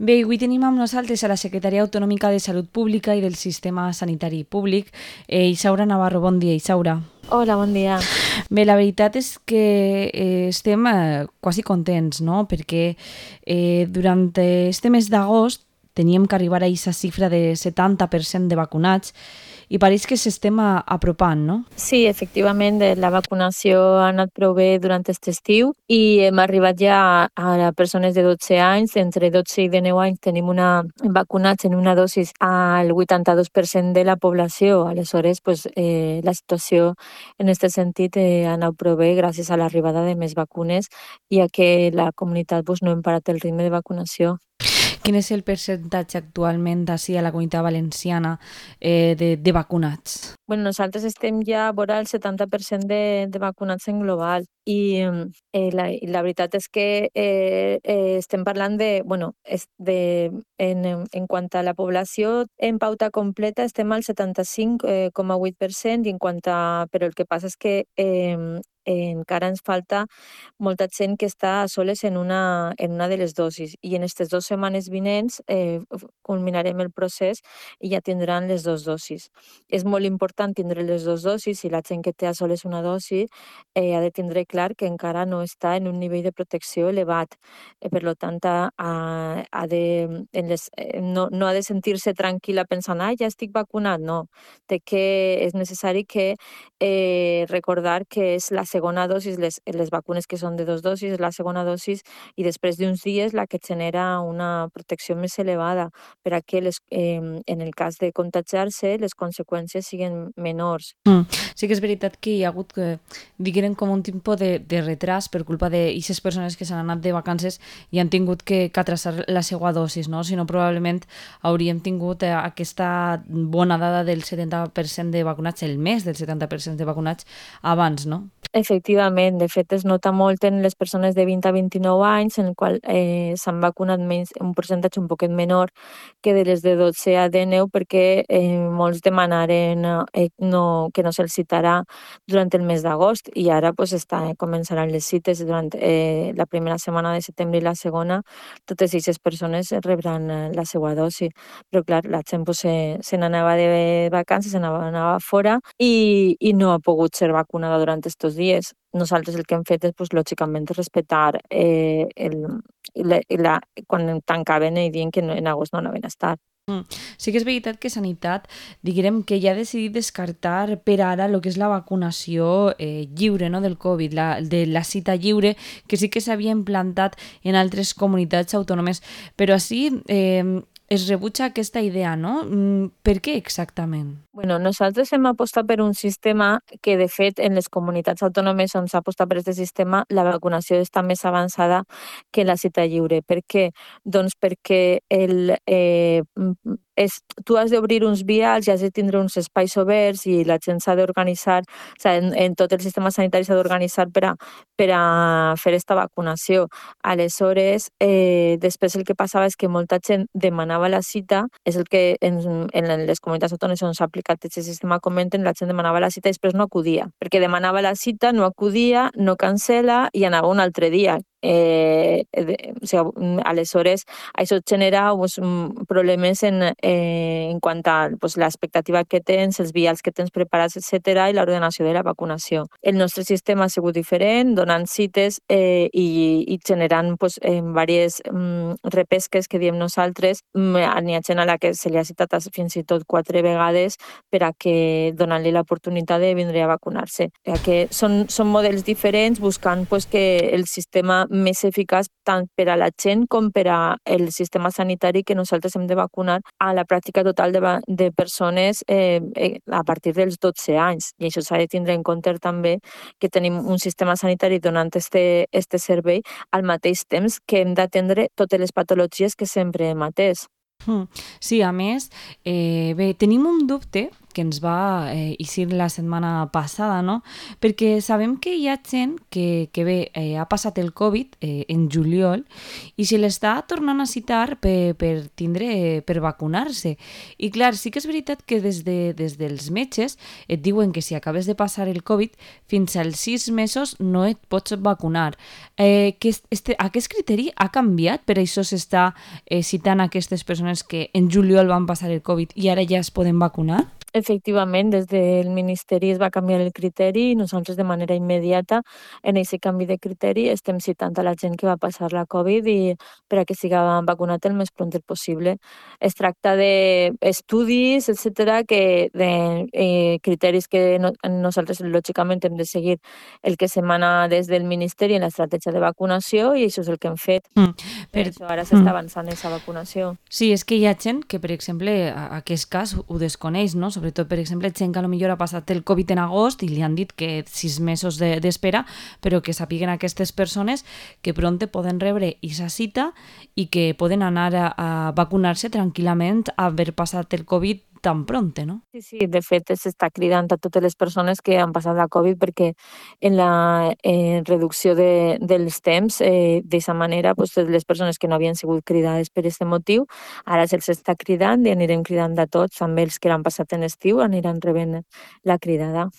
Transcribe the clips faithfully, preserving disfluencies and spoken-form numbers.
Bé, avui tenim amb nosaltres a la secretària autonòmica de Salut Pública i del Sistema Sanitari Públic, eh, Isaura Navarro. Bon dia, Isaura. Hola, bon dia. Bé, la veritat és que eh, estem eh, quasi contents, no? Perquè eh, durant este mes d'agost teníem que arribar a aquesta xifra de setanta per cent de vacunats i pareix que s'estem a- apropant, no? Sí, efectivament, eh, la vacunació ha anat prou bé durant aquest estiu i hem arribat ja a, a persones de dotze anys. Entre dotze i dinou anys tenim una, vacunats en una dosis al vuitanta-dos per cent de la població. Aleshores, pues, eh, la situació en aquest sentit eh, ha anat prou bé gràcies a l'arribada de més vacunes i a que la comunitat pues, no hem parat el ritme de vacunació. Quin és el percentatge actualment d'ací a la Comunitat Valenciana eh, de, de vacunats? Bueno, nosaltres estem ja vora el setanta per cent de, de vacunats en global i eh, la, i la veritat és que eh, eh, estem parlant de, bueno, és de, en, en quant a la població en pauta completa estem al setanta-cinc coma vuit per cent i en quant a, però el que passa és que eh, encara ens falta molta gent que està a soles en una, en una de les dosis i en aquestes dues setmanes vinents eh, culminarem el procés i ja tindran les dues dosis. És molt important tindre les dues dosis i la gent que té a soles una dosi eh, ha de tindre clar que encara no està en un nivell de protecció elevat. Eh, per lo tant, ha, ha de, en les, eh, no, no ha de sentir-se tranquil·la pensant ah, ja estic vacunat. No, té que, és necessari que eh, recordar que és la segona dosis, les, les vacunes que són de dos dosis, és la segona dosis i després d'uns dies la que genera una protecció més elevada per a que les, eh, en el cas de contagiar-se les conseqüències siguin menors. Mm. Sí que és veritat que hi ha hagut, que, diguem, com un tipus de, de retras per culpa d'aquestes persones que s'han anat de vacances i han tingut que, que atrasar la seva dosis, no? Si no, probablement hauríem tingut eh, aquesta bona dada del setanta per cent de vacunats, el mes del setanta per cent de vacunats abans, no? Efectivament, de fet es nota molt en les persones de vint a vint-i-nou anys en el qual eh, s'han vacunat menys, un percentatge un poquet menor que de les de dotze a dinou perquè eh, molts demanaren eh, no, que no se'ls citarà durant el mes d'agost i ara pues, està, eh, començaran les cites durant eh, la primera setmana de setembre i la segona. Totes aquestes persones rebran eh, la seva dosi, però clar, la gent pues, se, se n'anava de vacances, se n'anava fora i, i no ha pogut ser vacunada durant estos dies. Nosaltres el que hem fet és, pues, lògicament, respectar eh, el, la, la, quan tancaven i diuen que no, en agost no anaven a estar. Mm. Sí que és veritat que Sanitat, diguem que ja ha decidit descartar per ara el que és la vacunació eh, lliure, no, del Covid, la, de la cita lliure, que sí que s'havia implantat en altres comunitats autònomes, però així eh, es rebutja aquesta idea, no? Mm, per què exactament? Bueno, nosaltres hem apostat per un sistema que, de fet, en les comunitats autònomes on s'ha apostat per aquest sistema, la vacunació està més avançada que la cita lliure. Per què? Doncs perquè el, eh, és, tu has d'obrir uns vials i has de tindre uns espais oberts i la gent s'ha d'organitzar, o sigui, en, en tot el sistema sanitari s'ha d'organitzar per a, per a fer aquesta vacunació. Aleshores, eh, després el que passava és que molta gent demanava la cita, és el que en, en les comunitats autònomes on s'ha aplicat aquest sistema comenten, la gent demanava la cita i després no acudia, perquè demanava la cita, no acudia, no cancela i anava un altre dia. Eh, de, o sigui, aleshores, això genera pues, problemes en, eh, en quant a pues, l'expectativa que tens, els vials que tens preparats, etcètera, i l'ordenació de la vacunació. El nostre sistema ha sigut diferent, donant cites eh, i, i generant pues, eh, diverses mm, repesques que diem nosaltres. N'hi ha gent a la que se li ha citat fins i tot quatre vegades per a que donant-li l'oportunitat de vindre a vacunar-se. Que són, són models diferents buscant pues, que el sistema més eficaç tant per a la gent com per al sistema sanitari que nosaltres hem de vacunar a la pràctica total de, de persones eh, a partir dels dotze anys. I això s'ha de tindre en compte també que tenim un sistema sanitari donant este, este servei al mateix temps que hem d'atendre totes les patologies que sempre hem atès. Sí, a més, eh, bé, tenim un dubte que ens va eh, eixir la setmana passada, no? Perquè sabem que hi ha gent que, que bé, eh, ha passat el Covid eh, en juliol i se l'està tornant a citar per, per tindre, per vacunar-se. I clar, sí que és veritat que des, de, des dels metges et diuen que si acabes de passar el Covid, fins als sis mesos no et pots vacunar. Eh, que este, aquest criteri ha canviat, per això s'està eh, citant aquestes persones que en juliol van passar el Covid i ara ja es poden vacunar? Efectivament, des del Ministeri es va canviar el criteri i nosaltres de manera immediata en aquest canvi de criteri estem citant a la gent que va passar la Covid i per a que siga vacunat el més pront possible. Es tracta d'estudis, etcètera, que de eh, criteris que no, nosaltres lògicament hem de seguir el que s'emana des del Ministeri en l'estratègia de vacunació i això és el que hem fet. Mm, Per per, això ara s'està mm. avançant en aquesta vacunació. Sí, és que hi ha gent que, per exemple, a- aquest cas ho desconeix, no? Sobretot, per exemple, gent que potser ha passat el Covid en agost i li han dit que sis mesos de- d'espera, però que sàpiguen aquestes persones que pronte poden rebre aquesta cita i que poden anar a, a vacunar-se tranquil·lament a haver passat el Covid tan pronte, no? Sí, sí, de fet s'està cridant a totes les persones que han passat la Covid perquè en la eh, reducció de, dels temps, eh, d'aquesta manera, pues, les persones que no havien sigut cridades per aquest motiu, ara se'ls està cridant i anirem cridant a tots, també els que l'han passat en estiu aniran rebent la cridada.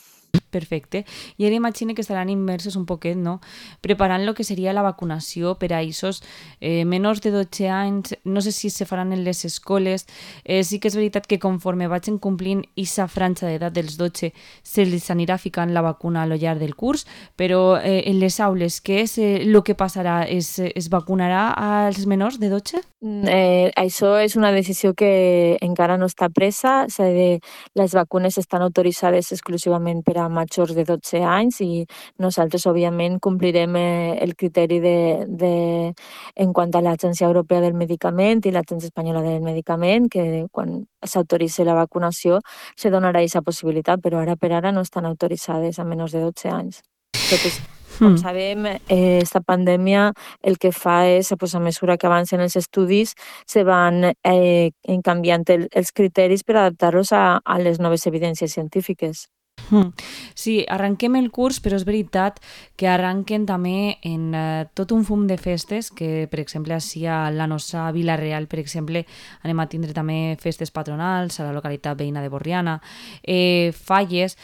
Perfecte. I ara imagine que estaran immersos un poquet, no? Preparant lo que seria la vacunació per a aquests eh, menors de dotze anys. No sé si se faran en les escoles. Eh, sí que és veritat que conforme vagin complint aquesta franja d'edat dels dotze se les anirà ficant la vacuna a lo llarg del curs, però eh, en les aules, què és eh, el que passarà? Es, es vacunarà als menors de dotze? Mm, Eh, això és una decisió que encara no està presa. S'ha de, les vacunes estan autoritzades exclusivament per a majors de dotze anys i nosaltres, òbviament, complirem eh, el criteri de, de, en quant a l'Agència Europea del Medicament i l'Agència Espanyola del Medicament, que quan s'autoritzi la vacunació se donarà aquesta possibilitat, però ara per ara no estan autoritzades a menors de dotze anys. Totes, com Hmm. sabem, eh, esta pandèmia el que fa és, pues, a mesura que avancen els estudis, se van eh, canviant el, els criteris per adaptar-los a, a les noves evidències científiques. Mm. Sí, arrenquem el curs, però és veritat que arrenquen també en eh, tot un fum de festes, que per exemple així a la nostra Vila Real, per exemple, anem a tindre també festes patronals a la localitat veïna de Borriana, eh, falles.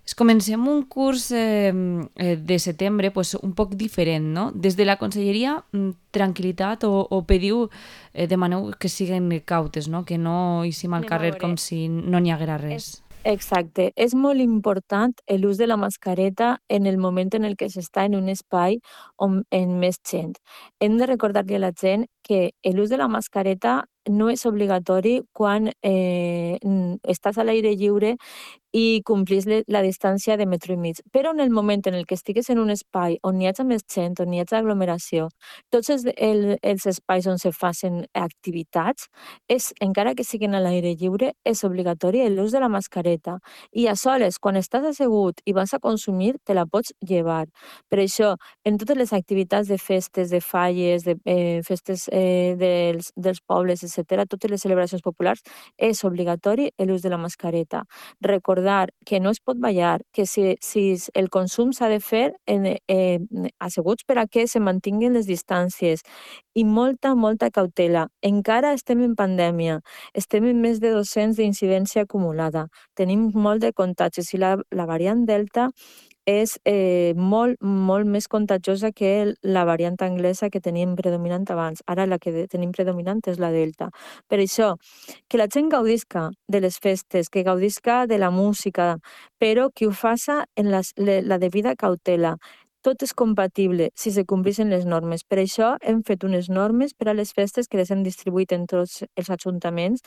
Es comencem un curs eh, eh, de setembre pues, un poc diferent, no? Des de la conselleria, mm, tranquil·litat o, o pediu, eh, demaneu que siguin cautes, no? Que no eixim al Anem a carrer veure. com si no n'hi haguera res. Exacte. És molt important l'ús de la mascareta en el moment en el que s'està en un espai on, en més gent. Hem de recordar-li a la gent que l'ús de la mascareta no és obligatori quan eh, n- estàs a l'aire lliure i complís le- la distància de metro i mig. Però en el moment en el que estigues en un espai on hi hagi més gent, on hi hagi aglomeració, tots els, el, els espais on se facin activitats, és, encara que siguin a l'aire lliure, és obligatori l'ús de la mascareta. I a soles, quan estàs assegut i vas a consumir, te la pots llevar. Per això, en totes les activitats de festes, de falles, de eh, festes eh, dels, dels pobles, etcètera, totes les celebracions populars, és obligatori l'ús de la mascareta. Recordar que no es pot ballar, que si, si el consum s'ha de fer en, eh, asseguts per a que se mantinguin les distàncies i molta, molta cautela. Encara estem en pandèmia, estem en més de dos-cents d'incidència acumulada, tenim molt de contagis i la, la variant Delta és eh, molt, molt més contagiosa que el- la variant anglesa que teníem predominant abans. Ara la que de- tenim predominant és la Delta. Per això, que la gent gaudisca de les festes, que gaudisca de la música, però que ho faça en les, le, la devida cautela. Tot és compatible si se compleixen les normes. Per això hem fet unes normes per a les festes que les hem distribuït en tots els ajuntaments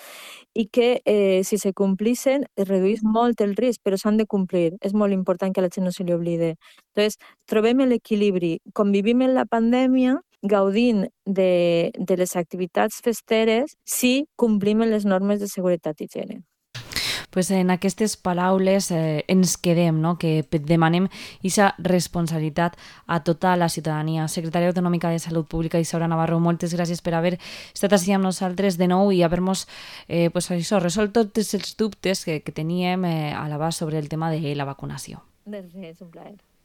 i que eh, si se complixen es redueix molt el risc, però s'han de complir. És molt important que a la gent no se li oblide. Entonces, trobem l'equilibri. Convivim en la pandèmia gaudint de, de les activitats festeres si complim les normes de seguretat i higiene. pues en aquestes paraules eh, ens quedem, no? Que demanem aquesta responsabilitat a tota la ciutadania. Secretària Autonòmica de Salut Pública Isaura Navarro, moltes gràcies per haver estat així amb nosaltres de nou i haver-nos eh, pues això, resolt tots els dubtes que, que teníem eh, a l'abast sobre el tema de la vacunació. De res, un plaer.